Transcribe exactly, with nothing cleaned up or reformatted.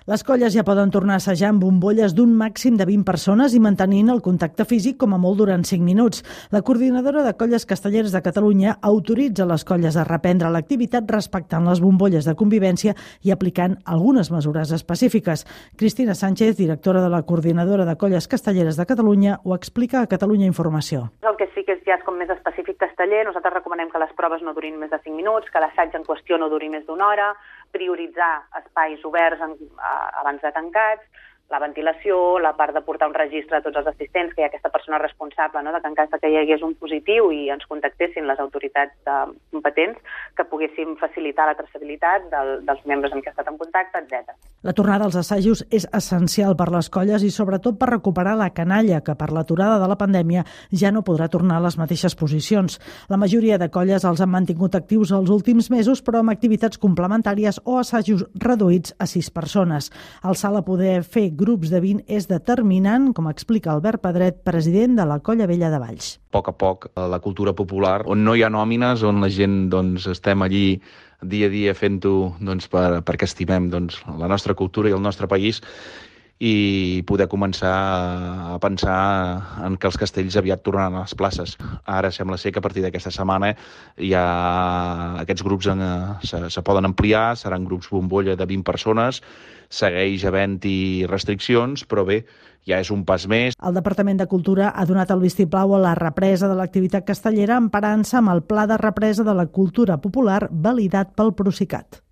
Les colles ja poden tornar a assajar amb bombolles d'un màxim de vint persones i mantenint el contacte físic com a molt durant cinc minuts. La coordinadora de colles castelleres de Catalunya autoritza les colles a reprendre l'activitat respectant les bombolles de convivència i aplicant algunes mesures específiques. Cristina Sánchez, directora de la coordinadora de colles castelleres de Catalunya, ho explica a Catalunya Informació. El que sí que és, ja és com més específic casteller. Nosaltres recomanem que les proves no durin més de cinc minuts, que l'assaig en qüestió no duri més d'una hora, prioritzar espais oberts en, a, abans de tancats, la ventilació, la part de portar un registre a tots els assistents, que hi ha aquesta persona responsable, no?, de que en cas que hi hagués un positiu i ens contactessin les autoritats eh, competents, que poguéssim facilitar la traçabilitat del, dels membres amb què ha estat en contacte, etcètera. La tornada als assajos és essencial per les colles i sobretot per recuperar la canalla, que per l'aturada de la pandèmia ja no podrà tornar a les mateixes posicions. La majoria de colles els han mantingut actius els últims mesos, però amb activitats complementàries o assajos reduïts a sis persones. El salt a poder fer grups de vint és determinant, com explica Albert Pedret, president de la Colla Vella de Valls. A poc a poc, la cultura popular, on no hi ha nòmines, on la gent doncs, estem allí dia a dia fent-ho doncs, per, perquè estimem doncs, la nostra cultura i el nostre país, i poder començar a pensar en que els castells aviat tornaran a les places. Ara sembla ser que a partir d'aquesta setmana ja aquests grups en, se, se poden ampliar, seran grups bombolla de vint persones, segueix havent-hi restriccions, però bé, ja és un pas més. El Departament de Cultura ha donat el vistiplau a la represa de l'activitat castellera emparant-se amb el Pla de Represa de la Cultura Popular validat pel Procicat.